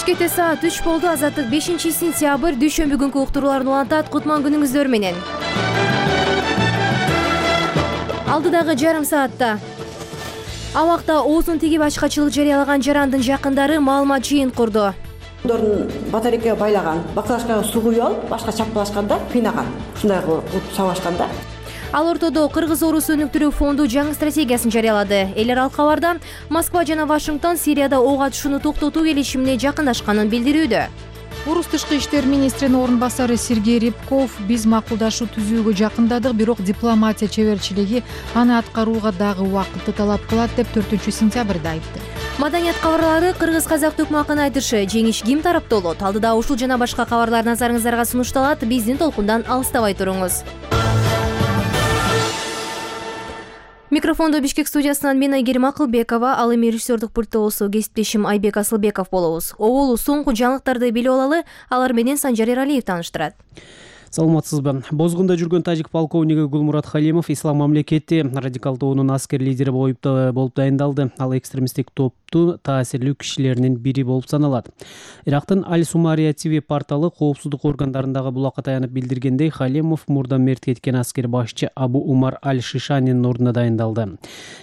Бишкекте саат 3 болду. Азаттык 5-сентябрь дүйшөмбү күнкү уктурууларын улантат. Кутман күнүңүздөр менен. Алдыдагы жарым саатта Абакта оозун тигип ачкачылык жарыялаган жарандын жакындары маалымат жыйын курду. Батарейкага байлаган, баклажкага суу куюп алып, башка чапкылашканда кыйнаган. Ушундай кылып сабашканда. Ал ортодо Кыргыз орусу өнүктүрүү фонду жаңы стратегиясын жарыялады. Элер ал кабарда Москва жана Вашингтон Сирияда ок атышууну токтотуу келишимине жакындашканын билдирүүдө. Орус тышкы иштер министринин орун басары Сергей Рябков: биз макулдашуу түзүүгө жакындадык, бирок дипломатия чеберчилиги аны аткарууга дагы убакытты талап кылат деп 4-сентябрда айтты. Маданият кабарлары кыргыз-казак төкмакын айтышы. Жеңиш ким тарапта болот? Алдыда ушул жана башка кабарлар назарыңыздарга сунушталат. Биздин толкундан алыстабай туруңуз. Микрофондо Бишкек студиясынан мен Айгерим Акылбекова, ал эми режиссердук пультта болсо кесиптешим Айбек Асылбеков болобуз. Оболу соңку жаңылыктарды билип алалы, алар менен Санжар Эралиев тааныштырат. Саламатсызбы. Бозгунда жүргөн тажик полковниги Гулмурат Халимов ислам мамлекети радикал тобунун аскер лидери болуп дайындалды. Ал экстремисттик топтун таасирлүү кишилеринин бири болуп саналат. Ирактын Аль-Сумария ТВ порталы коопсуздук органдарындагы булакка таянып билдиргендей, Халимов мурда мерт кеткен аскер башчы Абу Умар Аль-Шишанин ордуна дайындалды.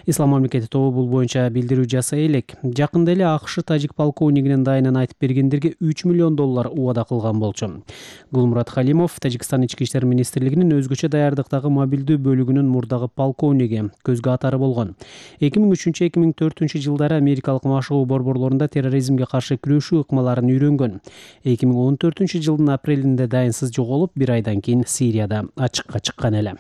Ислам мамлекети тобу бул боюнча билдирүү жасай элек. Жакында эле АКШ тажик полковнигинин дайынан айтып бергендерге $3 миллион убада кылган болчу. Гулмурат Халимов Тажикстан ички иштер министрлигинин өзгөчө даярдыктагы мобилдүү бөлүгүнүн мурдагы полковниги, көзгө атары болгон. 2003-2004 жылдары америкалык машыгуу борборлорунда терроризмге каршы күрөшүү ыкмаларын үйрөнгөн. 2014 жылдын апрелинде дайынсыз жоголуп, бир айдан кийин Сирияда ачыкка чыккан эле.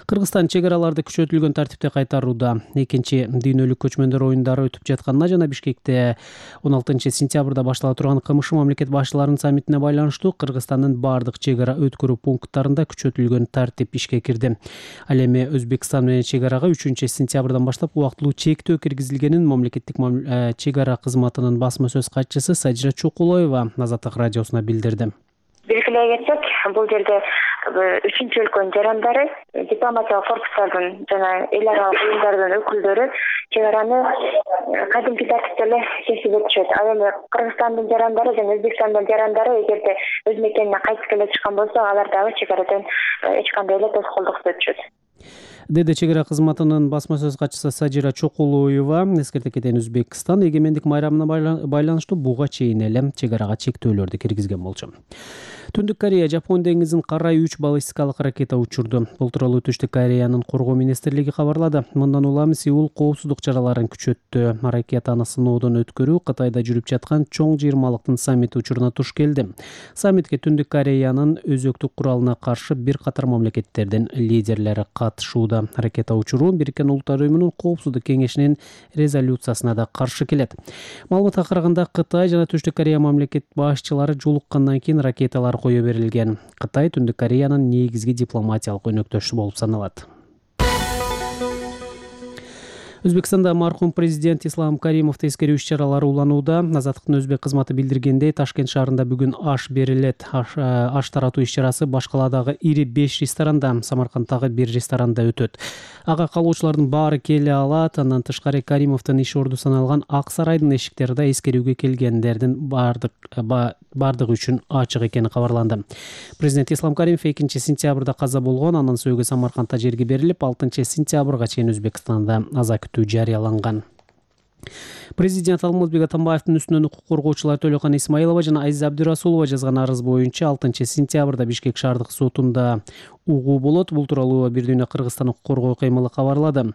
Кыргызстан чек араларды күчөтүлгөн тартипте кайтарууда. Экинчи дүйнөлүк көчмөндөр оюндары өтүп жатканына жана Бишкекте 16-сентябрда баштала турган КМШ мамлекет башчыларынын саммитине байланыштуу Кыргызстандын бардык чек ара өткөрүү пункттарында күчөтүлгөн тартип ишке кирди. Ал эми Өзбекстан менен чек арага 3-сентябрдан баштап убактылуу чектөө киргизилгенин мамлекеттик чек ара кызматынын басма сөз катчысы Сажира Чокулоева Азаттык радиосуна билдирди. Белгилей кетсек, бул жерде 3-чү өлкөнүн жарандары, дипломатиялык корпустардын жана эл аралык уюмдардын өкүлдөрү чек араны кадимки тартипте эле кесип өтүшөт. Ал эми Кыргызстандын жарандары жана Өзбекстандын жарандары эгерде өз мекенине кайтып келе турган болсо, алар дагы чек арадан эч кандай эле тоскоолдуксуз өтүшөт. Деди чек ара кызматынын басма сөз катчысы Сажира Чокулоева. Эскерте кетейин, Өзбекстан эгемендик майрамына байланыштуу буга чейин эле чек арага чектөөлөрдү киргизген болчу. Түндүк Корея Жапон деңизин карай 3 баллистикалык ракета учурду. Бул тууралуу Түштүк Кореянын коргоо министрлиги кабарлады. Мындан улам Сеул коопсуздук чараларын күчөттү. Ракетаны сыноодон өткөрүү Кытайда жүрүп жаткан чоң 20-лыктын саммити учуруна туш келди. Саммитке Түндүк Кореянын өзөктүк куралына каршы бир катар мамлекеттердин лидерлери катышууда. Ракета учуруу Бириккен Улуттар уюмунун коопсуздук кеңешинин резолюциясына да каршы келет. Маалыматка караганда Кытай жана Түштүк Корея мамлекет башчылары жолуккандан кийин ракеталар кое берилген. Кытай Түндүк Кореянын негизги дипломатиялык өнөктөшү болуп саналат. Өзбекстанда мархум президент Ислам Каримовду эскерүү иш-чаралары уланууда. Азаттыктын өзбек кызматы билдиргендей, Ташкент шаарында бүгүн аш берилет. Аш таратуу иш-чарасы Башкаладагы ири 5 ресторанда, Самаркандтагы бир ресторанда өтөт. Ага калуучулардын баары келе алат. Андан тышкары Каримовдун иш орду саналган Ак сарайдын эшиктери да эскерүүгө келгендердин бардыгы үчүн ачык экени кабарланды. Президент Ислам Каримов 2-сентябрда каза болгон. Анын сөөгү Самаркандта жерге берилип, 6-сентябрга чейин Өзбекстанда аза күтүү жарыяланган. Президент Алмазбек Атамбаевдин үстүнөн укук коргоочулар Төлөкан Исмаилова жана Азиза Абдырасулова жазган арыз боюнча 6-сентябрда Бишкек шаардык сотунда угуу болот. Бул тууралуу Бир дүйнө Кыргызстан укук коргоо кыймылы кабарлады.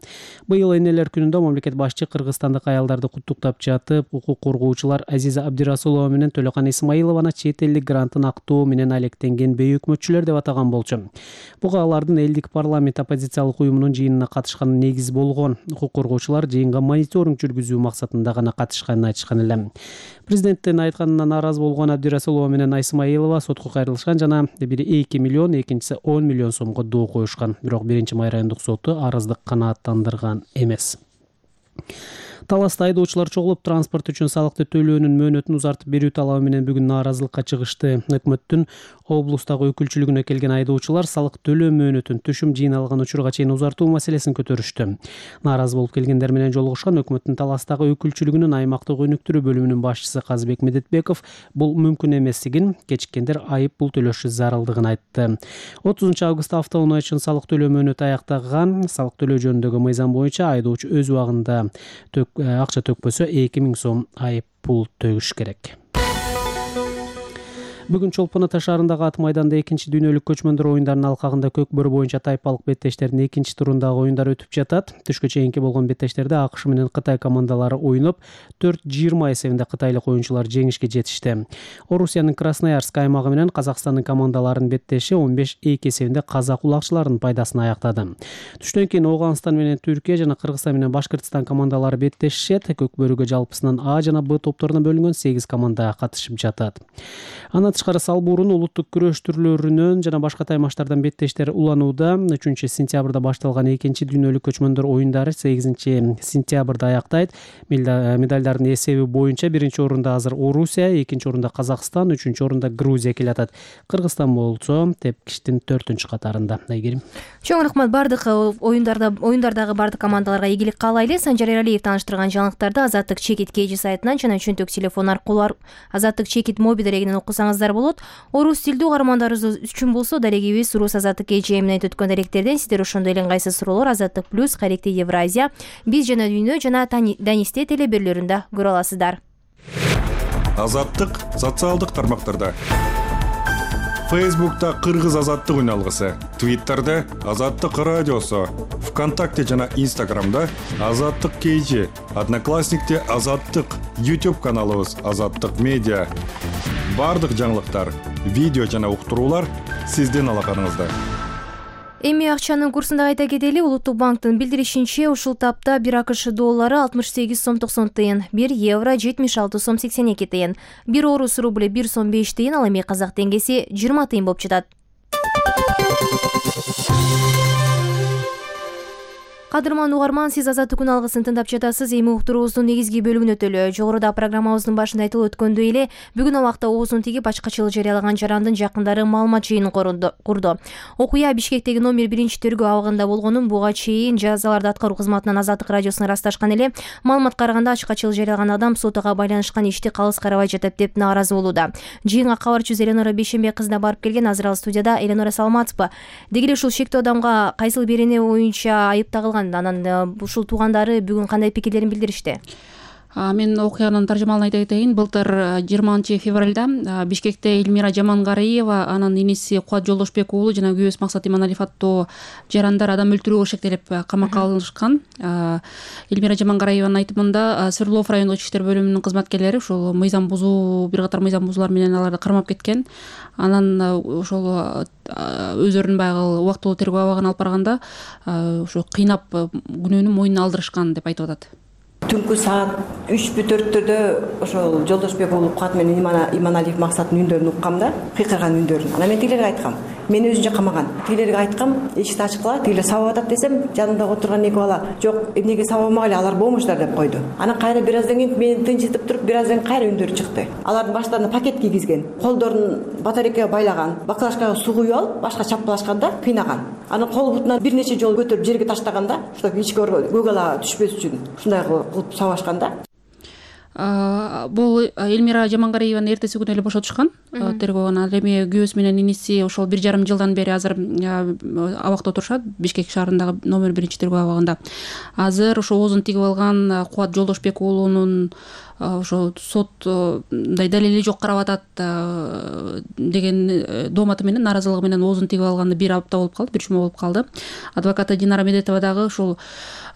Быйыл энелер күнүндө мамлекет башчы кыргызстандык аялдарды куттуктап жатып, укук коргоочулар Азиза Абдырасулова менен Төлөкан Исмаилованы чет элдик грантын актоо менен алектенген бейөкмөтчүлөр деп атаган болчу. Буга алардын элдик парламент оппозициялык уюмунун жыйынына катышканы негиз болгон. Укук коргоочулар жыйынга мониторинг жүргүзүү максатында гана катышканын айтышкан эле. Президенттин айтканына нааразы болгон Абдырасулова менен Исмаилова сотко кайрылышкан жана бири 2 миллион, экинчиси 10 миллион сомго доо коюшкан. Бирок биринчи май райондук соту арызды канааттандырган эмес. Таласта айдоочулар чогулуп транспорт үчүн салыкты төлөөнүн мөөнөтүн узартып берүү талабы менен бүгүн нааразылыкка чыгышты. Өкмөттүн облустагы өкүлчүлүгүнө келген айдоочулар салык төлөө мөөнөтүн түшүм жыйналган учурга чейин узартуу маселесин көтөрүштү. Нааразы болуп келгендер менен жолугушкан өкмөттүн Таластагы өкүлчүлүгүнүн аймактык өнүктүрүү бөлүмүнүн башчысы Казбек Медетбеков бул мүмкүн эместигин, кечиккендер айып пул төлөшү зарылдыгын айтты. 30 августта автоунаа үчүн салык төлөө мөөнөтү аяктаган. Салык төлөө жөнүндөгү мыйзам боюнча айдоочу өз убагында акча төкпөсө 2000 сом айып пул төлөш керек. Бүгүн Чолпон Ата шаарындагы ат майданда 2-дүйнөлүк көчмөндөр оюндарынын алкагында көк бөрү боюнча тайпалык беттештердин 2-турундагы оюндар өтүп жатат. Түшкө чейинки болгон беттештерде АКШ менен Кытай командалары оюнуп, 4-20 эсебинде кытайлык оюнчулар жеңишке жетишти. Орусиянын Красноярск аймагы менен Казакстандын командаларынын беттеши 15-2 эсебинде казак улакчыларынын пайдасына аяктады. Түштөн кийин Ооганстан менен Түркия жана Кыргызстан менен Башкыртстан командалары беттешишет. Көк бөрүгө жалпысынан А жана Б топторуна бөлүнгөн 8 команда катышып жатат. Андан тышкары салбуурун улуттук күрөш түрлөрүнөн жана башка таймаштардан беттештер уланууда. 3-сентябрда башталган 2-дүйнөлүк көчмөндөр оюндары 8-сентябрда аяктайт. Медалдардын эсеби боюнча 1-орунда азыр Орусия, 2-орунда Казакстан, 3-орунда Грузия келатат. Кыргызстан болсо тепкичтин 4-катарында. Айгерим. Чоң рахмат. Бардык оюндардагы бардык командаларга игилик каалайлы. Санжар Эралиев тааныштырган жаңылыктарды Азаттык чекит KG сайтынан жана чөнтөк телефон аркылуу Азаттык чекит мобил дарегинен окусаңыздар болот. Орус тилдүү угармандарыбыз үчүн болсо дарегибиз Урус Азаттык KG менен өткөн даректерден сиздер ошондой эле ыңгайсыз суроолор Азаттык плюс, Каректи Евразия, Биз жана Дүйнө жана Данисте телеберлөрүндө көрө аласыздар. Азаттык социалдык тармактарда. Фейсбукта Кыргыз Азаттык үналгысы, Твиттерде Азаттык радиосу, ВКонтакте жана Инстаграмда Азаттык KG, Одноклассникте Азаттык, YouTube каналыбыз Азаттык медиа. Бардык жаңылыктар, видео жана уктуруулар сиздин алаканыңызда. Эми акчанын курсунда айта кетели. Улуттук банктын билдиришинче, ушул тапта 1 АКШ доллары 68 сом 90 тыйын, 1 евро 76 сом 82 тыйын, 1 орус рубль 1 сом 5 тыйын, ал эми казак теңгеси 20 тыйын болуп жатат. Кадырман угарман, сиз Азаттык үналгысын тыңдап жатасыз. Эми уктуруубуздун негизги бөлүгүнө өтөлү. Жогоруда программабыздын башында айтылып өткөндөй эле, бүгүн абакта оозун тигип ачкачылык жарыялаган жарандын жакындары маалымат жыйынын курду. Окуя Бишкектеги номер 1-тергөө абагында болгонун буга чейин жазаларды аткаруу кызматынан Азаттык радиосуна ырасташкан эле. Маалымат караганда ачкачылык жарыялаган адам сотого байланышкан ишти калыс карабай жатат деп нааразы болууда. Жыйынга кабарчыбыз Элеонора Бейшембек кызына барып келген. Азыр ал студияда. Элеонора, саламатсызбы? Деги эле ушул шектүү адамга кайсыл берене боюнча айыпталган? Анан ушул туугандары бүгүн кандай пикирлерин билдиришти? Мен окуянын таржымалын айта кетейин. Былтыр 20 февралда Бишкекте Эльмира Жамангариева, анын иниси Кубат Жолдошбек уулу жана күйөөсү Максат Иманалиев аттуу жарандар адам өлтүрүүгө шектелип камакка алынышкан. Эльмира Жамангариеванын айтымында Свердлов райондук ички иштер бөлүмүнүн кызматкерлери ушул мыйзам бузуу, бир катар мыйзам бузуулар менен аларды кармап кеткен. Анан ошол өздөрүнүн баягы убактылуу тергөө абагына алып барганда ошо кыйнап күнөөнүн мойнуна алдырышкан деп айтып атат. Түнкү саат 3-4-төрдө ошол Жолдошбек уулу Кубат менен Иманалиев Максаттын үндөрүн уккам да, кыйкырган үндөрүн. Анан мен тигилерге айткам, мени өзүнчө камаган. Тигилерге айткам, эшикти ачкыла, тигилер сабап атат десем, жанымда отурган эки бала, жок, эмнеге сабамагыла, алар болмуштар деп койду. Анан кайра бир аздан кийин мени тынчытып туруп, бир аздан кайра үндөрү чыкты. Алардын баштарына пакет кийгизген, колдорун батарейкага байлаган, баклажкага суу куюп алып, башка чапкылашканда кыйнаган. Анан кол бутунан бир нече жолу көтөрүп жерге таштаганда, ушул ичке көк ала түшпөс үчүн ушундай кылып сабашканда. Бул Эльмира Жамангариеваны эртеси күнү эле бошотушкан тергөөгөн. Ал эми күйөөсү менен иниси ошол 1,5 жылдан бери азыр абакта отурушат, Бишкек шаарындагы номер 1-тергөө абагында. Азыр ошо оозун тигип алган Кубат Жолдошбек уулунун ошо соттой далили жок карап атат деген дооматы менен, нааразылыгы менен оозун тигип алганды 1 апта болуп калды, 1 жума болуп калды. Адвокаты Динара Медетова дагы ушул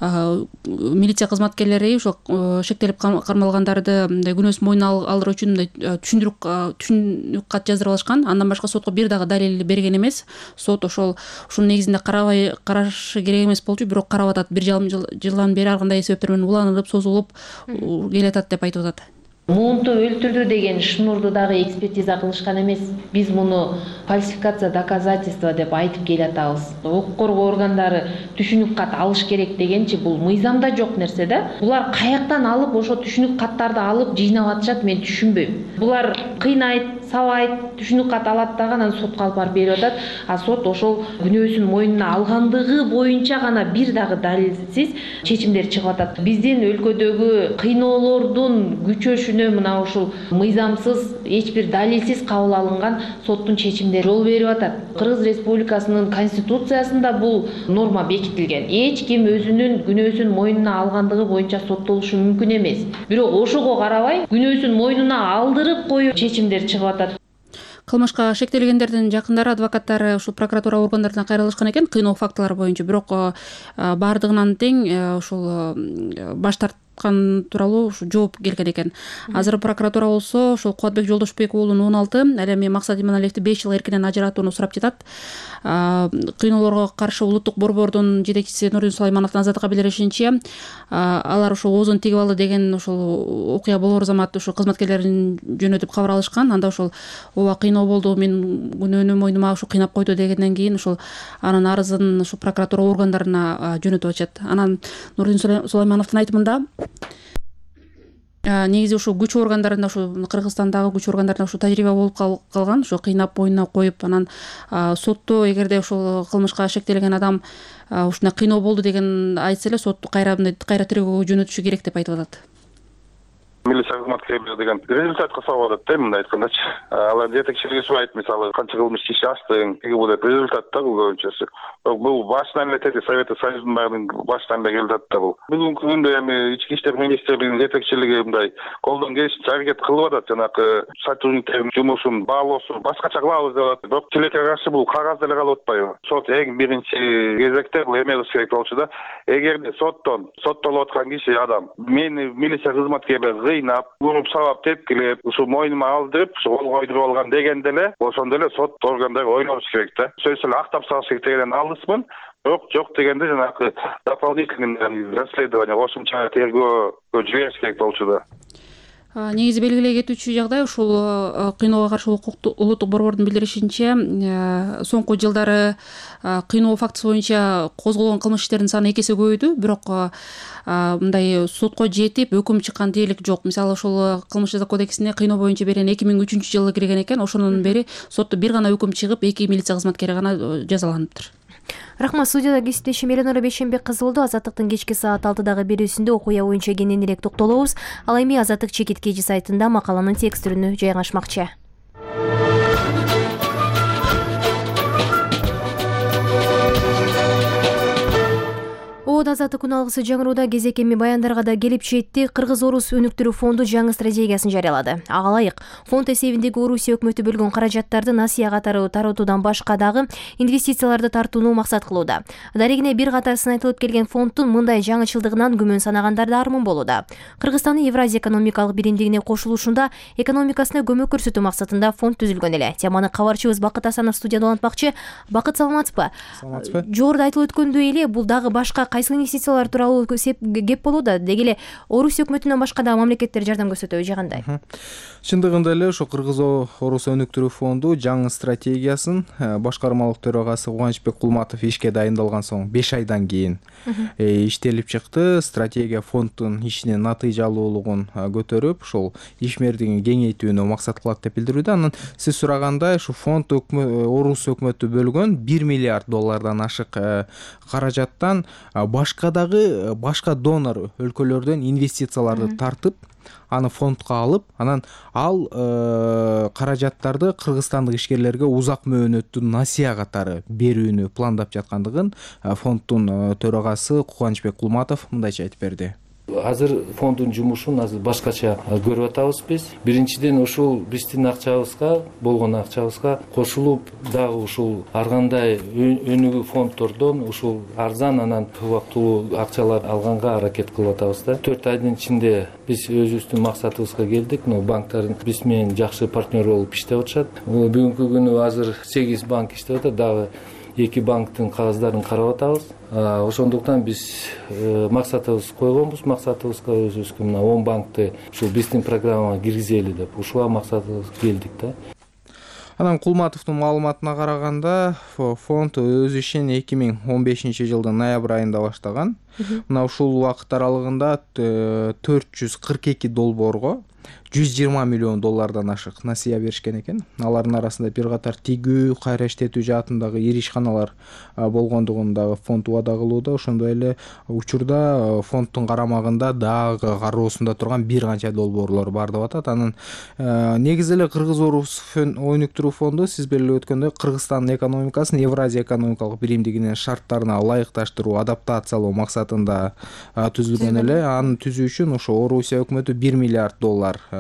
милиция кызматкерлери ошо шектелип кармалгандарды күнөөсүн мойнуна алдыруу үчүн түшүндүрүк кат жаздырып алышкан. Андан башка сотко бир дагы далил берген эмес. Сот ошол ушунун негизинде карашы керек эмес болчу, бирок карап атат. 1,5 жылдан бери ар кандай себептер менен уланып, созулуп келатат деп айтып атат. муунту өлтүрдү деген шнурду дагы экспертиза кылышкан эмес. Биз муну фальсификация доказательства деп айтып келатабыз. Укук коргоо органдары түшүнүк кат алыш керек дегенчи бул мыйзамда жок нерсе да. Булар каяктан алып ошо түшүнүк каттарды алып жыйнап атышат, мен түшүнбөйм. Булар кыйнайт, сабайт, түшүнүк кат алат дагы анан сотко алып барып берип атат. А сот ошол күнөөсүн мойнуна алгандыгы боюнча гана бир дагы далилсиз чечимдер чыгып атат. Биздин өлкөдөгү кыйноолордун күчөшүнө мына ушул мыйзамсыз, эч бир далилсиз кабыл алынган соттун чечимдери жол берип атат. Кыргыз Республикасынын конституциясында бул норма бекитилген. Эч ким өзүнүн күнөөсүн мойнуна алгандыгы боюнча соттолушу мүмкүн эмес. Бирок ошого карабай күнөөсүн мойнуна алдырып коюп чечимдер чыгып атат. Кылмышка шектелгендердин жакындары, адвокаттары ушул прокуратура органдарына кайрылышкан экен кыйноо фактылары боюнча. Бирок баардыгынан тең ушул баш тарткан тууралуу жооп келген экен. Азыр прокуратура болсо ушул Кубатбек Жолдошбек уулун 16, ал эми Максат Иманалиевди 5 жыл эркинен ажыратууну сурап жатат. Кыйноолорго каршы улуттук борбордун жетекчиси Нурдин Сулаймановдун азаттыкка билдиришинче, алар ушул оозун тигип алды деген ушул окуя болор замат ушул кызматкерлерин жөнөтүп кабар алышкан. Анда ушул ооба кыйноо болду, мен күнөөнү мойнума ушу кыйнап койду дегенден кийин ушул анын арызын ушул прокуратура органдарына жөнөтүп атышат. Анан Нурдин Сулаймановдун айтымында негизи ушул күч органдарында, ушул Кыргызстандагы күч органдарында ушул тажрыйба болуп калган, ушул кыйнап мойнуна коюп, анан сотто эгерде ушул кылмышка шектелген адам ушундай кыйноо болду деген айтса эле сотту кайра тергөөгө жөнөтүшү керек деп айтып атат. Милиция кызматкерлери деген результатка салып атат да, мындай айткандачы. Алар жетекчилиги сұрайт, мисалы канча кылмыш иш ачтың, тиги бул деп результат да бул көбүнчөсү. Бул башынан эле тети Советтик Союздун баардыгын башынан эле келип атат да бул. Бүгүнкү күндө эми Ички иштер министрлигинин жетекчилиги мындай колдон келишинче аракет кылып атат, жанагы сотрудниктердин жумушун баалоосун башкача кылабыз деп атат. Бирок тилекке каршы бул кагазда эле калып атпайбы? Сот эң биринчи кезекте бул эме кылыш керек болчу да. Эгерде соттолуп аткан киши адам мени милиция кызматкерлери кыйнап, уруп сабап, тепкилеп, ушу мойнума алдырып, ушу кол койдуруп алган дегенде эле, ошондо эле сот органдары ойлонуш керек да. Сөзсүз эле актап салыш керек дегенден алысмын. Бирок жок дегенде жанагы дополнительный расследование, кошумча тергөөгө жибериш керек болчу да. Негизи белгилей кетүүчү жагдай ушул кыйноого каршы улуттук борбордун билдиришинче, соңку жылдары кыйноо фактысы боюнча козголгон кылмыш иштеринин саны 2 эсе көбөйдү, бирок мындай сотко жетип өкүм чыккан дээрлик жок. Мисалы ушул кылмыш жаза кодексине кыйноо боюнча берен 2003-жылы кирген экен, ошондон бери сотто бир гана өкүм чыгып, 2 милиция кызматкери гана жазаланыптыр. Рахмат. Студияда кесиптешим Эленора Бейшенбек кызы болду. Азаттыктын кечки саат 6-дагы берүүсүндө окуя боюнча кененирээк токтолобуз. Ал эми Азаттык чекит кежи сайтында макаланын текст түрүнө жайгашмакчы. Азаттык күн алгысы жаңырууда кезек эми баяндарга да келип жетти. Кыргыз-Орус өнүктүрүү фонду жаңы стратегиясын жарыялады. Ага ылайык фонд эсебиндеги Орусия өкмөтү бөлгөн каражаттарды насыя катары таратуудан башка дагы инвестицияларды тартууну максат кылууда. Дарегине бир катар сын келген фонддун мындай жаңычылдыгынан күмөн санагандар да армын болууда. Кыргызстандын Евразия экономикалык биримдигине кошулушунда экономикасына көмөк көрсөтүү максатында фонд түзүлгөн эле. Теманы кабарчыбыз Бакыт Асанов студияда улантмакчы. Бакыт, саламатсызбы? Саламатсызбы. Жогоруда айтылып өткөндөй эле бул дагы башка кайсы инвестициялар тууралуу кеп болууда. Деги эле Орусия өкмөтүнөн башка да мамлекеттер жардам көрсөтөбү же кандай? Чындыгында эле ошо Кыргыз-Орус өнүктүрүү фонду жаңы стратегиясын башкармалык төрагасы Кубанычбек Кулматов ишке дайындалган соң 5 айдан кийин иштелип чыкты. Стратегия фонддун ишинин натыйжалуулугун көтөрүп, ошол ишмердигин кеңейтүүнү максат кылат деп билдирүүдө. Анан сиз сурагандай, ушу фонд Орус өкмөтү бөлгөн $1 миллиард ашык каражаттан башка донор өлкөлөрдөн инвестицияларды тартып, аны фондко алып, анан ал каражаттарды кыргызстандык ишкерлерге узак мөөнөттүү насыя катары берүүнү пландап жаткандыгын фонддун төрагасы Кубанычбек Кулматов мындайча айтып берди. Азыр фонддун жумушун азыр башкача көрүп атабыз биз. Биринчиден ушул биздин акчабызга, болгон акчабызга кошулуп дагы ушул ар кандай өнүгүү фонддордон ушул арзан анан убактылуу акчалар алганга аракет кылып атабыз да. 4 айдын ичинде биз өзүбүздүн максатыбызга келдик. Банктар биз менен жакшы партнер болуп иштеп атышат. Бүгүнкү күнү азыр 8 банк иштеп атат, дагы 2 банктын кагаздарын карап атабыз. Ошондуктан биз максатыбыз койгонбуз. Максатыбызга өзүбүзгө мына 10 банкты ушул биздин программага киргизели деп ушуга максатыбыз келдик да. Анан Кулматовдун маалыматына караганда, фонд өз ишин 2015-жылдын ноябрь айында баштаган. Мына ушул убакыт аралыгында $442 долбоорго $120 миллион ашык насыя беришкен экен. Алардын арасында бир катар тигүү, кайра иштетүү жаатындагы ири ишканалар болгондугун дагы фонд убада кылууда. Ошондой эле учурда фонддун карамагында дагы кароосунда турган бир канча долбоорлор бар деп атат. Анын негизи эле Кыргыз-Орус өнүктүрүү фонду сиз белгилеп өткөндөй Кыргызстандын экономикасын Евразия экономикалык биримдигинин шарттарына ылайыкташтыруу, адаптациялоо максатында түзүлгөн эле. Аны түзүү үчүн ошо Орусия өкмөтү $1 миллиард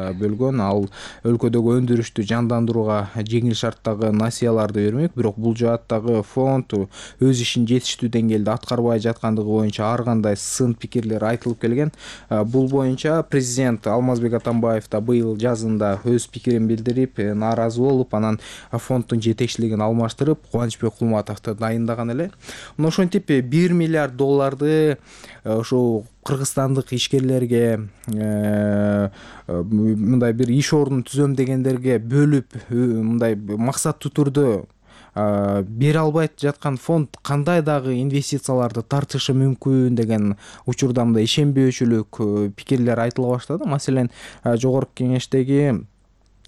бөлгөн. Ал өлкөдөгү өндүрүштү жандандырууга жеңил шарттагы насыяларды бермек. Бирок бул жааттагы фонд өз ишин жетиштүү деңгээлде аткарбай жаткандыгы боюнча ар кандай сын пикирлер айтылып келген. Бул боюнча президент Алмазбек Атамбаев да быйыл жазында өз пикирин билдирип, нааразы болуп, анан фонддун жетекчилигин алмаштырып, Кубанычбек Кулматовду дайындаган эле. Мына ошентип $1 миллиард ошо кыргызстандык ишкерлерге, мындай бир иш ордун түзөм дегендерге бөлүп, мындай максаттуу түрдө бере албайт жаткан фонд кандай дагы инвестицияларды тартышы мүмкүн деген учурда мындай ишенбөөчүлүк пикирлер айтыла баштады. Маселен, жогорку кеңештеги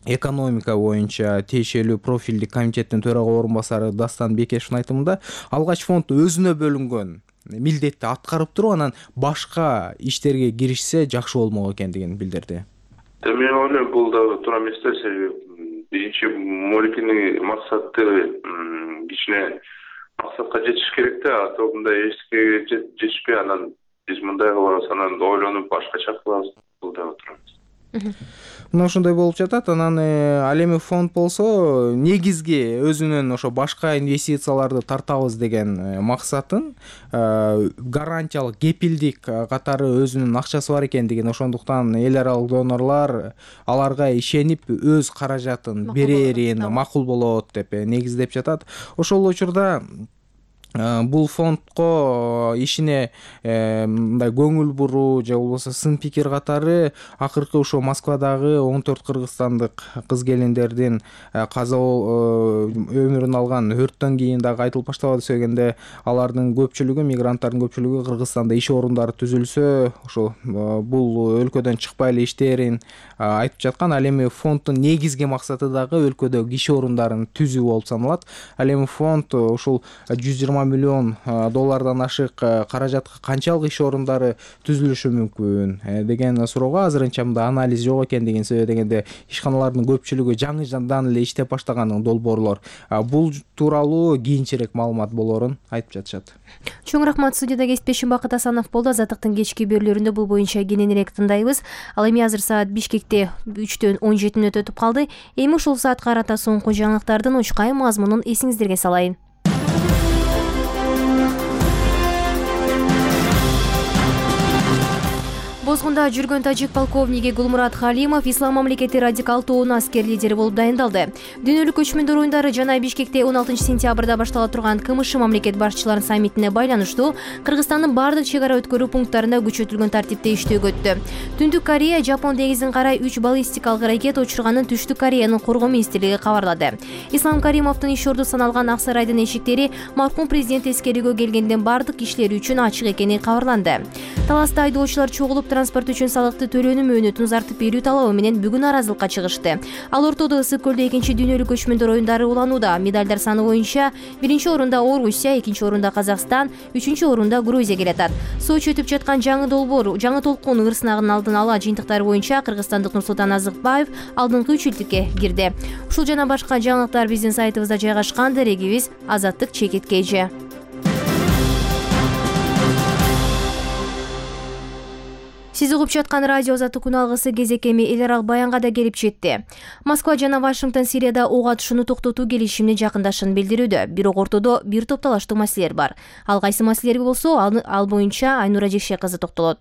экономика боюнча тиешелүү профилдик комитеттин төрага орун басары Дастан Бекешевдин айтымында алгач фонд өзүнө бөлүнгөн милдетти аткарып туруп, анан башка иштерге киришсе жакшы болмок экендигин билдирди. Мен ойлойм, бул да туура эмес да. Себеби биринчи Моликини максаты кичине максатка жетиш керек да. А то мындай эчтеке жетишпей, анан биз мындай кылабыз, анан ойлонуп башкача кылабыз. Бул да туура эмес. Мына ошондой болуп жатат. Анан ал эми фонд болсо негизги өзүнүн ошо башка инвестицияларды тартабыз деген максатын гарантиялык кепилдик катары өзүнүн акчасы бар экендигин, ошондуктан эл аралык донорлор аларга ишенип өз каражатын берерин макул болот деп негиздеп жатат. Ошол учурда бул фондко ишине мындай көңүл буруу же болбосо сын пикир катары акыркы ушо Москвадагы 14 кыргызстандык кыз келиндердин өмүрүн алган өрттөн кийин дагы айтылып баштабады дегенде, алардын көпчүлүгү, мигранттардын көпчүлүгү Кыргызстанда иш орундары түзүлсө, ошо бул өлкөдөн чыкпай эле иштээрин айтып жаткан. Ал эми фонддун негизги максаты дагы өлкөдөгү иш орундарын түзүү болуп саналат. Ал эми фонд ушул $120 миллион ашык каражатка канчалык иш орундары түзүлүшү мүмкүн деген суроого азырынча мында анализ жок экендигин, себеби дегенде ишканалардын көпчүлүгү жаңыдан эле иштеп баштаган долбоорлор. Бул тууралуу кийинчерээк маалымат болорун айтып жатышат. Чоң рахмат. Студияда кесиптешим Бакыт Асанов болду. Азаттыктын кечки берүүлөрүндө бул боюнча кененирээк тындайбыз. Ал эми азыр саат Бишкекте 3:17 өтүп калды. Эми ушул саатка карата соңку жаңылыктардын учкай мазмунун эсиңиздерге салайын. Бозгунда жүргөн тажик полковниги Гулмурат Халимов Ислам мамлекети радикал тобунун аскер лидери болуп дайындалды. Дүйнөлүк көчмөндөр оюндары жана Бишкекте 16 сентябрда баштала турган КМШ мамлекет башчыларынын саммитине байланыштуу Кыргызстандын бардык чек ара өткөрүү пункттарында күчөтүлгөн тартипте иштөөгө өттү. Түндүк Корея Жапон деңизин карай 3 баллистикалык ракета учурганын Түштүк Кореянын коргоо министрлиги кабарлады. Ислам Каримовдун иш орду саналган Ак сарайдын эшиктери маркум президент эскерүүгө келгенден бардык кишилер үчүн ачык экени кабарланды. Таласта айдоочулар чогулуп транспорт үчүн салыкты төлөөнүн мөөнөтүн узартып берүү талабы менен бүгүн аразылыкка чыгышты. Ал ортодо Ысык көлдө 2 дүйнөлүк көчмөндөр оюндары уланууда. Медалдар саны боюнча 1 орунда Орусия, 2 орунда Казакстан, 3 орунда Грузия келатат. Сочи өтүп жаткан жаңы толкун ырсынагынын алдын ала жыйынтыктары боюнча кыргызстандык Нурсултан Азыкбаев алдыңкы 3-үчүлүккө кирди. Ушул жана башка жаңылыктар биздин сайтыбызда жайгашкан. Дерегибиз Азаттык _KG. Сиз угуп жаткан радио Азаттык күн алгысы кезек эми эл аралык баянга да келип жетти. Москва жана Вашингтон Сирияда ок атышууну токтотуу келишимине жакындашканын билдирүүдө. Бирок ортодо бир топ талаштуу маселелер бар. Ал кайсы маселелер болсо, ал боюнча Айнура Жекше кызы токтолот.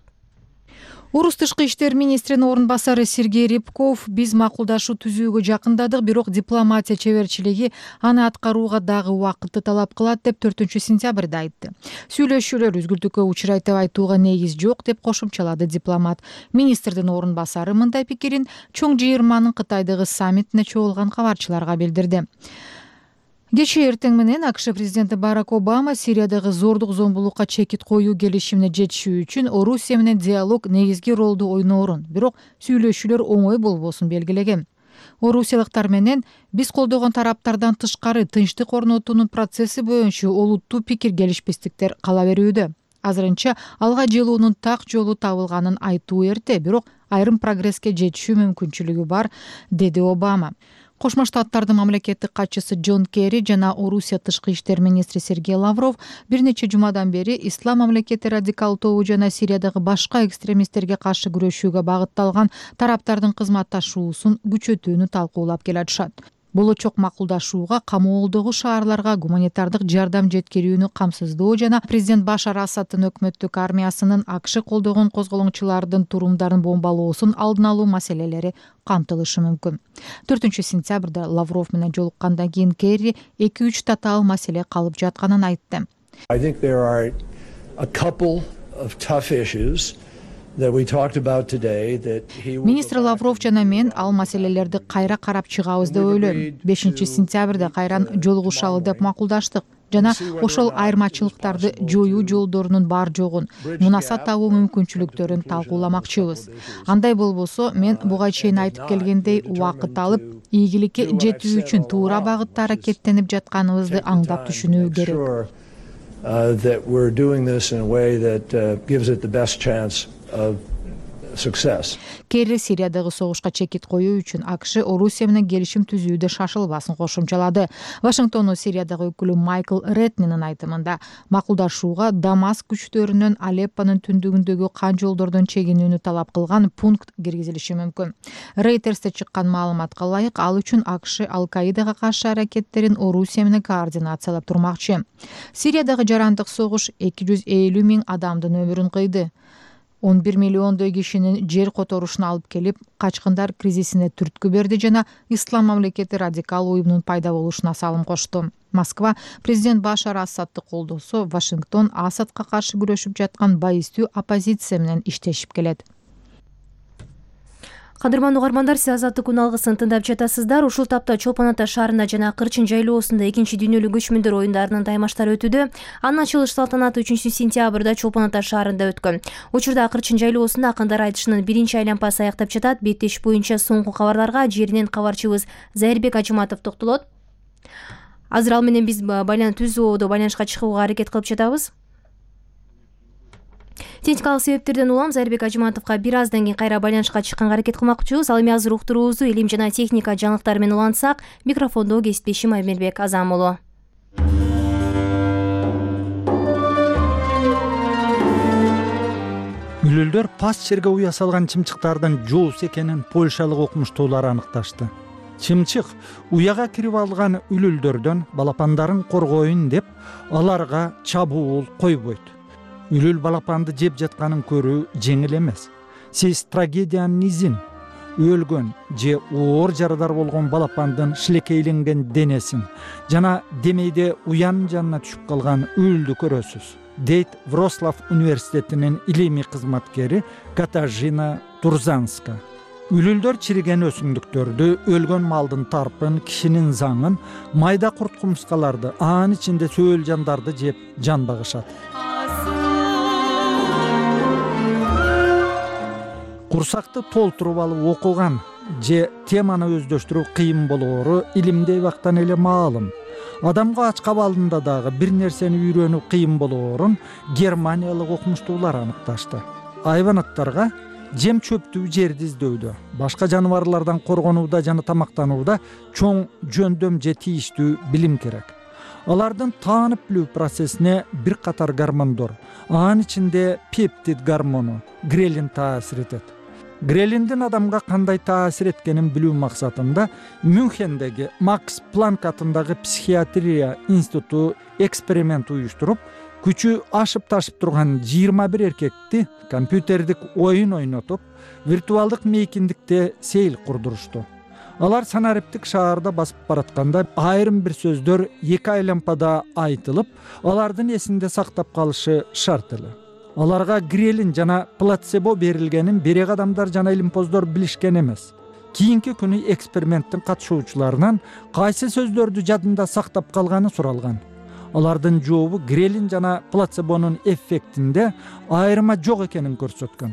Орус тышкы иштер министринин орун басары Сергей Рябков биз макулдашуу түзүүгө жакындадык, бирок дипломатия чеберчилиги аны аткарууга дагы убакытты талап кылат деп 4-сентябрда айтты. Сүйлөшүүлөр үзгүлтүккө учурайт деп айтууга негиз жок деп кошумчалады дипломат. Министрдин орун басары мындай пикирин чоң жыйырманын Кытайдагы саммитине чогулган кабарчыларга билдирди. Кечээ эртең менен АКШ президенти Барак Обама Сириядагы зордук зомбулукка чекит коюу келишимине жетишүү үчүн Орусия менен диалог негизги ролду ойноорун, бирок сүйлөшүүлөр оңой болбосун белгилеген. Орусиялыктар менен биз колдогон тараптардан тышкары тынчтык орнотуунун процесси боюнча олуттуу пикир келишпестиктер кала берүүдө. Азырынча алга жылуунун так жолу табылганын айтуу эрте, бирок айрым прогресске жетишүү мүмкүнчүлүгү бар, деди Обама. Кошмо Штаттардын мамлекеттик катчысы Джон Керри жана Орусия тышкы иштер министри Сергей Лавров бир нече жумадан бери ислам мамлекети радикал тобу жана Сириядагы башка экстремисттерге каршы күрөшүүгө багытталган тараптардын кызматташуусун күчөтүүнү талкуулап келатышат. Болочок макулдашууга камоолдогу шаарларга гуманитардык жардам жеткирүүнү камсыздоо жана президент Башар Асаддын өкмөттүк армиясынын АКШ колдогон козголоңчулардын турумдарын бомбалоосун алдын алуу маселелери камтылышы мүмкүн. 4-сентябрда Лавров менен жолуккандан кийин Керри 2-3 татаал маселе калып жатканын айтты. Министр Лавров жана мен ал маселелерди кайра карап чыгабыз деп ойлойм. 5-сентябрда кайран жолугушалы деп макулдаштык жана ошол айырмачылыктарды жоюу жолдорунун бар жогун, мунаса табуу мүмкүнчүлүктөрүн талкууламакчыбыз. Андай болбосо, мен буга чейин айтып келгендей, убакыт алып, ийгиликке жетүү үчүн туура багытта аракеттенип жатканыбызды аңдап түшүнүү керек. That we're doing this in a way that gives it the best chance of success. Керри Сириядагы согушка чекит коюу үчүн АКШ Орусия менен келишим түзүүдө шашылбасын кошумчалады. Вашингтондун Сириядагы өкүлү Майкл Ретнинин айтымында, макулдашууга Дамаск күчтөрүнүн Алеппонун түндүгүндөгү кан жолдордон чегинүүнү талап кылган пункт киргизилиши мүмкүн. Рейтерсте чыккан маалыматка ылайык, ал үчүн АКШ Ал-Каидага каршы аракеттерин Орусия менен координациялап турмакчы. Сириядагы жарандык согуш 250 000 адамдын өмүрүн кыйды. 11 миллиондой кишинин жер которушуна алып келип, качкындар кризисине түрткү берди жана ислам мамлекети радикал уюмунун пайда болушуна салым кошту. Москва президент Башар Асадды колдосо, Вашингтон Асадка каршы күрөшүп жаткан байыстуу оппозиция менен иштешип келет. Кадырман угармандар, сиз Азаттык күн алгысын тыңдап жатасыздар. Ушул тапта Чолпон Ата шаарында жана Кырчын жайлоосунда 2 дүйнөлүк көчмөндөр оюндарынын таймаштары өтүүдө. Анын ачылыш салтанаты 3-сентябрда Чолпон Ата шаарында өткөн. Учурда Кырчын жайлоосунда акындар айтышынын 1-чи айланпасы аяктап жатат. Беттеш боюнча соңку кабарларга жеринен кабарчыбыз Зайырбек Ажыматов токтолот. Азыр ал менен биз түз ободо байланышка чыгууга аракет кылып жатабыз. Техникалык себептерден улам Зайырбек Ажыматовго бир аздан кийин кайра байланышка чыкканга аракет кылмакчыбыз. Ал эми азыр уктуруубузду илим жана техника жаңылыктары менен улантсак, микрофондо кесиптешим Аймербек Азам уулу. Үлүлдөр паст жерге уя салган чымчыктардын жоос экенин польшалык окумуштуулар аныкташты. Чымчык уяга кирип алган үлүлдөрдөн балапандарын коргоюн деп аларга чабуул койбойт. Үлүл балапанды жеп жатканын көрүү жеңил эмес. Сиз трагедиянын изин, өлгөн же оор жарадар болгон балапандын шилекейленген денесин жана демейде уянын жанына түшүп калган үлүлдү көрөсүз, дейт Вроцлав университетинин илимий кызматкери Катажина Турзанска. Үлүлдөр чириген өсүмдүктөрдү, өлгөн малдын тарпын, кишинин заңын, майда курт кумурскаларды, анын ичинде сөөл жандарды жеп жан багышат. Курсакты толтуруп алып окуган же теманы өздөштүрүү кыйын болоору илимдей бактан эле маалым. Адамга ач кабалында дагы бир нерсени үйрөнүү кыйын болоорун германиялык окумуштуулар аныкташты. Айванаттарга жем чөптүү жерди издөүдө, башка жаныбарлардан коргонууда жана тамактанууда чоң жөндөм же тийиштүү билим керек. Алардын таанып билүү процессине бир катар гормондор, анын ичинде пептид гормону, грелин таасир этет. Грелиндин адамга кандай таасир эткенин билүү максатында Мюнхендеги Макс Планк атындагы психиатрия институту эксперимент уюштуруп, күчү ашып ташып турган 21 эркекти компьютердик оюн ойнотуп, виртуалдык мейкиндикте сейил курдурушту. Алар санариптик шаарда басып баратканда айрым бир сөздөр эки айлампада айтылып, алардын эсинде сактап калышы шарт эле. Аларга грелин жана плацебо берилгенин берек адамдар жана илимпоздор билишкен эмес. Кийинки күнү эксперименттин катышуучуларынан кайсы сөздөрдү жадында сактап калганы суралган. Алардын жообу грелин жана плацебонун эффектинде айырма жок экенин көрсөткөн.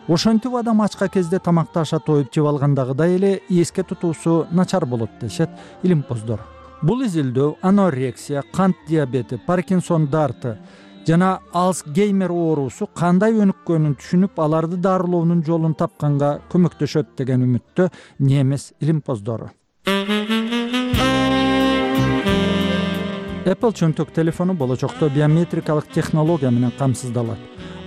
Ошентип адам ачка кезде тамакты аша тоюп жеп алгандагыдай эле эске тутуусу начар болот дешет илимпоздор. Бул изилдөө анорексия, кант диабети, Паркинсон дарты жана Алцгеймер оорусу кандай өнүккөнүн түшүнүп, аларды дарылоонун жолун тапканга көмөктөшөт деген үмүттө немис илимпоздору. Apple чөнтөк телефону болочокто биометрикалык технология менен камсыздалат.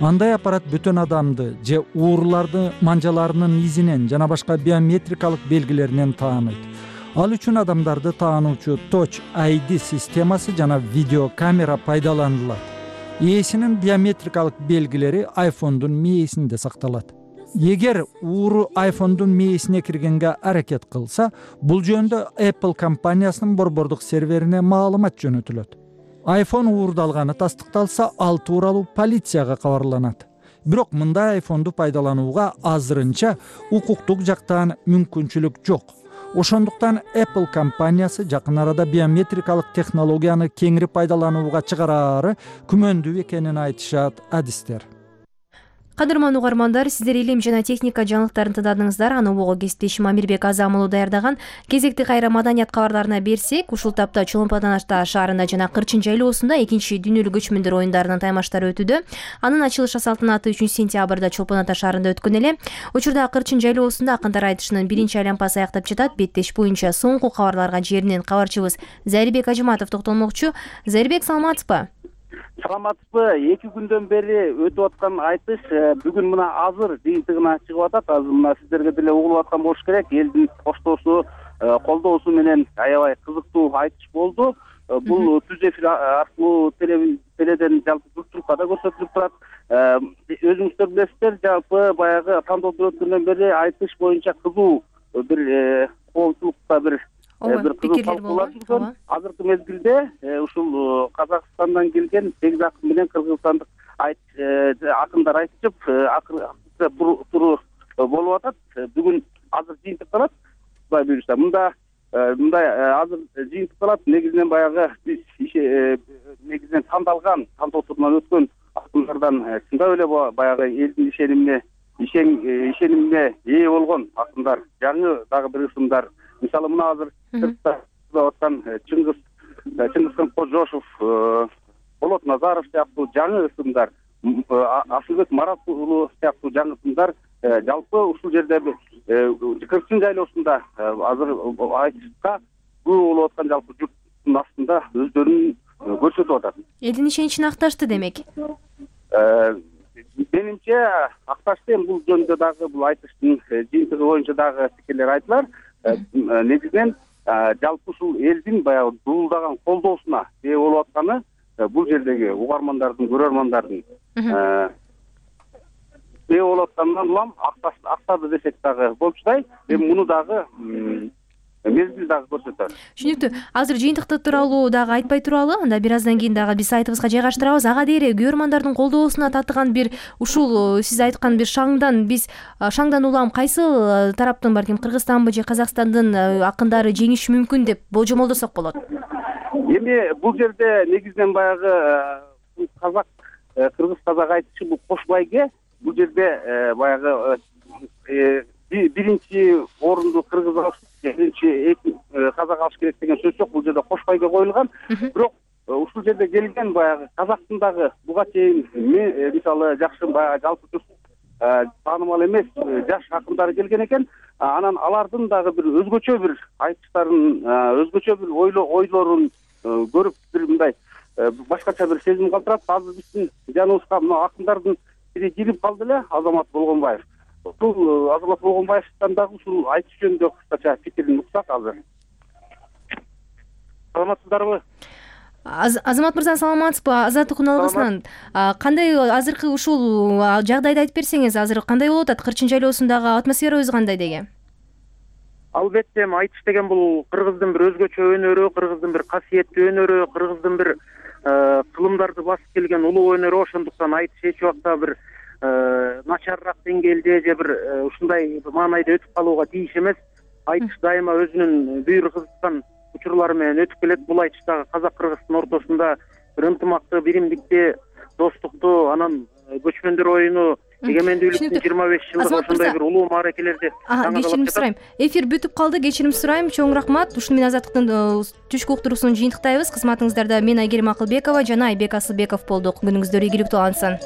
Андай аппарат бүтүн адамды же ууруларды манжаларынын изинен жана башка биометрикалык белгилеринен тааныйт. Ал үчүн адамдарды таануучу Touch ID системасы жана видеокамера пайдаланылат. Ээсинин биометрикалык белгилери iPhone'дун мээсинде сакталат. Эгер ууру iPhone'дун мээсине киргенге аракет кылса, бул жөнүндө Apple компаниясынын борбордук серверине маалымат жөнөтүлөт. iPhone уурдалганы тастыкталса, ал тууралуу полицияга кабарланат. Бирок мындай iPhone'ду пайдаланууга азырынча укуктук жактан мүмкүнчүлүк жок. Ошондуктан Apple компаниясы жакын арада биометрикалык технологияны кеңири пайдаланууга чыгараары күмөндүү экенин айтышат адистер. Кадырман угармандар, сиздер илим жана техника жаңылыктарын тыңдадыңыздар. Аны обого кесиптешим Амирбек Азам уулу даярдаган. Кезекти кайра маданият кабарларына берсек, ушул тапта Чолпон-Ата шаарында жана Кырчын жайлоосунда 2 дүйнөлүк көчмөндөр оюндарынын таймаштары өтүүдө. Анын ачылыш салтанаты 3-сентябрда Чолпон-Ата шаарында өткөн эле. Учурда Кырчын жайлоосунда акындар айтышынын 1-айланпасы аяктап жатат. Беттеш боюнча соңку кабарларга жеринен кабарчыбыз Зарибек Ажыматов токтолмокчу. Зарибек, саламатсызбы? Саламатсызбы? 2 күндөн бери өтүп аткан айтыш бүгүн мына азыр жыйынтыгына чыгып атат. Азыр мына сиздерге деле угулуп аткан болуш керек. Элдин коштоосу, колдоосу менен аябай кызыктуу айтыш болду. Бул түз эфир аркылуу теледен жалпы журтчулукка да көрсөтүлүп турат. Өзүңүздөр билесиздер, жалпы баягы тандоодон өткөндөн бери айтыш боюнча кызуу бир коомчулукта бир кызуу талкуулар жүргөн. Азыркы мезгилде ушул Казакстандан келген 8 акын менен кыргызстандык акындар айтышып, акыркы туру болуп атат. Бүгүн азыр жыйынтыкталат. Кудай буйруса, мындай азыр жыйынтыкталат. Негизинен баягы биз негизинен тандалган тандоо турунан өткөн акындардан чындап эле баягы элдин ишенимине ээ болгон акындар, жаңы дагы бир ысымдар. Мисалы мына азыр аткан Чыңгызхан Кожошов, Болот Назаров сыяктуу жаңы ысымдар, Асылбек Марат уулу сыяктуу жаңы ысымдар жалпы ушул жерде Кырчын жайлоосунда азыр айтышка күбө болуп аткан жалпы журттун астында өздөрүн көрсөтүп атат. Элдин ишеничин акташты демек. Менимче акташты. Бул жөнүндө дагы бул айтыштын жыйынтыгы боюнча дагы пикирлер айтылар. Негизинен жалпы ушул элдин баягы дуулдаган колдоосуна ээ болуп атканы бул жердеги угармандардын, көрөрмандардын ээ болуп атканынан улам актады десек дагы болчудай. Муну дагы мезгил дагы көрсөтөт. Түшүнүктүү. Азыр жыйынтыкты тууралуу дагы айтпай туралы, анда бир аздан кийин дагы биз сайтыбызга жайгаштырабыз. Ага дейре көрөрмандардын колдоосуна татыган бир ушул сиз айткан бир шаңдан улам кайсы тараптын, балким Кыргызстанбы же Казакстандын акындары жеңиши мүмкүн деп болжомолдосок болот? Эми бул жерде негизинен баягы кыргыз казак айтышы бул кош байге. Бул жерде баягы биринчи орунду кыргыз алыш, биринчи казак алыш керек деген сөз жок. Бул жерде кош байге коюлган. Бирок ушул жерде келген баягы казактын дагы буга чейин мисалы жакшы баягы жалпы таанымал эмес жаш акындар келген экен. Анан алардын дагы бир өзгөчө бир айтыштарын, өзгөчө бир ойлорун көрүп бир мындай башкача бир сезим калтырат. Азыр биздин жаныбызга мына акындардын бири кирип калды эле, Азамат Болгонбаев. Ушул Азамат Болгонбаевден дагы ушул айтыш жөнүндө кыскача пикирин уксак азыр. Саламатсыздарбы? Азамат мырза, саламатсызбы? Азаттык уналгысынан кандай азыркы ушул жагдайды айтып берсеңиз, азыр кандай болуп атат? Кырчын жайлоосундагы атмосферабыз кандай деге? Албетте, айтыш деген бул кыргыздын бир өзгөчө өнөрү, кыргыздын бир касиеттүү өнөрү, кыргыздын бир кылымдарды басып келген улуу өнөрү. Ошондуктан айтыш эч убакта бир начарыраак деңгээлде же бир ушундай маанайда өтүп калууга тийиш эмес. Айтыш дайыма өзүнүн бүйүр кызыткан учурлары менен өтүп келет. Бул айтыш дагы казак кыргыздын ортосунда бир ынтымакты, биримдикти, достукту, анан көчмөндөр оюну, эгемендүүлүктүн 25 жылдыгы, ошондой бир улуу мааракелерди кечирим сурайм. Эфир бүтүп калды, кечирим сурайм. Чоң рахмат. Ушуну менен Азаттыктын түшкү уктуруусун жыйынтыктайбыз. Кызматыңыздарда мен Айгерим Акылбекова жана Айбек Асылбеков болдук. Күнүңүздөр ийгиликтүү алынсын.